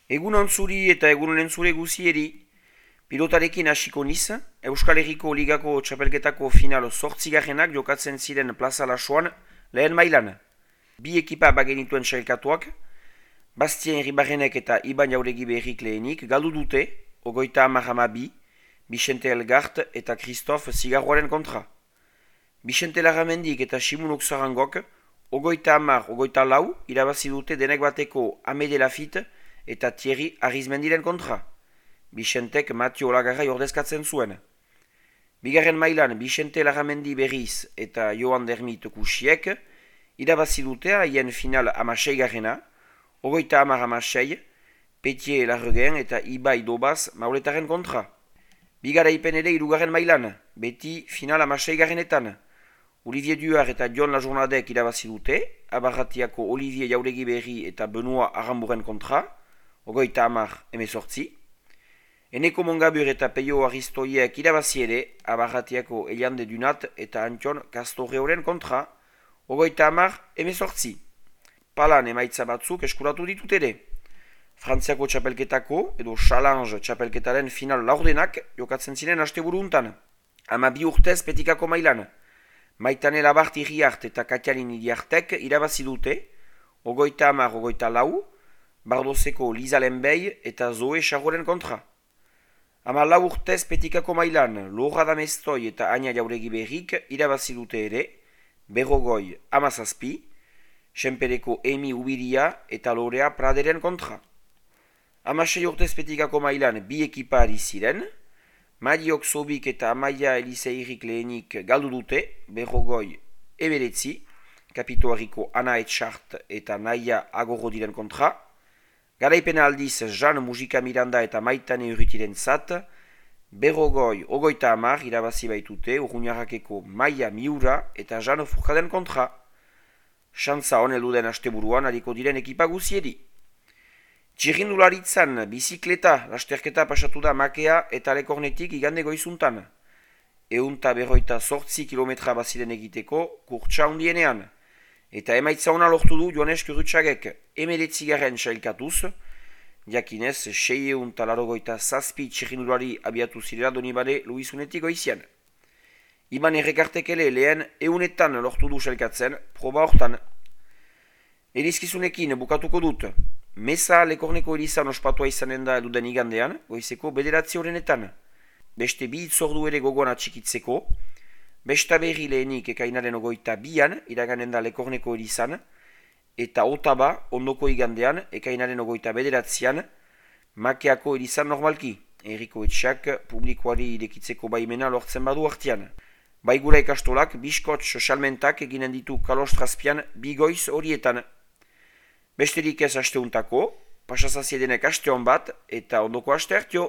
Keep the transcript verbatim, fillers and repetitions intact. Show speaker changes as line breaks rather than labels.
Egun ontzuri eta egun entzure guzieri, pilotarekin hasiko niz, Euskal Herriko Ligako txapelketako final zortzigarrenak jokatzen ziren Plaza Lasoan lehen mailan. Bi ekipa bagenituen sailkatuak, Bastien Ribarrenek eta Iban Jauregi Berrik lehenik galdu dute, ogoita hamar hamabi, Bixente Elgart eta Christophe Zigarroaren kontra. Bixente Larramendik eta Simunok Zarangok, ogoita hamar, ogoita lau, irabazi dute denek bateko Amede Lafite eta Thierry Arizmendiren kontra. Bixentek Matio Olagarrai ordezkatzen zuen. Bigarren mailan Bixente Larramendi berriz eta Joan Dermit Kusiek irabazi dute haien final amasei garrena, ogoita hamar amasei, Petier Larregen eta Ibai Dobaz mauletaren kontra. Bigaraipen ere irugarren mailan, beti final amasei garrenetan. Olivier Duar eta John Lajournadek irabazi dute, Abarratiako Olivier Jauregi Berri eta Benoit Aramburen kontra, ogoita hamar emezortzi. Eneko Mongabur eta Peio Aristoiek irabazi ere, Abarratiako Eliande Dunat eta Antion Castorreoren kontra, ogoita hamar emezortzi. Palan emaitza batzuk eskuratu ditut ere. Frantziako txapelketako edo Challenge txapelketaren final laurdenak jokatzen ziren asteburu untan. Ama bi urtez petikako mailan. Maitane Labart Iriart eta Katialin Iriartek irabazi dute, ogoita hamar ogoita lau, Bardozeko Liza Lenbei eta Zoe Charroren kontra. Ama lau urtez petikako mailan, Lora Damestoi eta Aina Jauregi Berrik irabazi dute ere, Berrogoi Amazazpi, Senpereko Emi Ubiria eta Lorea Praderen kontra. Amasei urtez petikako mailan bi ekipa ari ziren, Mariok Sobik eta Amaia Eliseirik lehenik galdu dute, Berrogoi Eberetzi, Kapitoariko Ana Etxart eta Naia Agorodiren kontra. Garaipena aldiz Jean Mujika Miranda eta Maitane Urrutiren zat, Berrogoi Ogoita Amar irabazi baitute Urruñarrakeko Maia Miura eta Jean Furkaden kontra. Xantza honeldu den asteburuan hariko diren ekipa guzieri. Txirrindularitzan bizikleta lasterketa pasatu da Makea eta Lekornetik igande goizuntan. Eunta berroita sortzi kilometra baziren egiteko kurtsa hundienean. Eta emaitza ona lortu du Joanes Kurutxagek emeretzigaren sailkatuz, jakinez sei eunta larogoita zazpi txirrindulari abiatu zirela Donibane Luizunetik goizian. Iban errekartekele lehen eunetan lortu du sailkatzen proba hortan. Erizkizunekin bukatuko dut. Meza Lekorneko erizan ospatua izanen da eduden igandean, goizeko bederatzi horrenetan. Beste bi itzordu ere gogoan atxikitzeko, besta berri lehenik ekainaren ogoita bian, iraganen da Lekorneko erizan, eta otaba ondoko igandean, ekainaren ogoita bederatzian, Makeako erizan normalki, erriko etxak publikoari irekitzeko baimena lortzen badu hartian. Baigura ikastolak, biskotx salmentak eginen ditu kalostrazpian bigoiz horietan. Besterik ez asteuntako, pasazaziedenek aste hon bat eta ondoko aste hartio.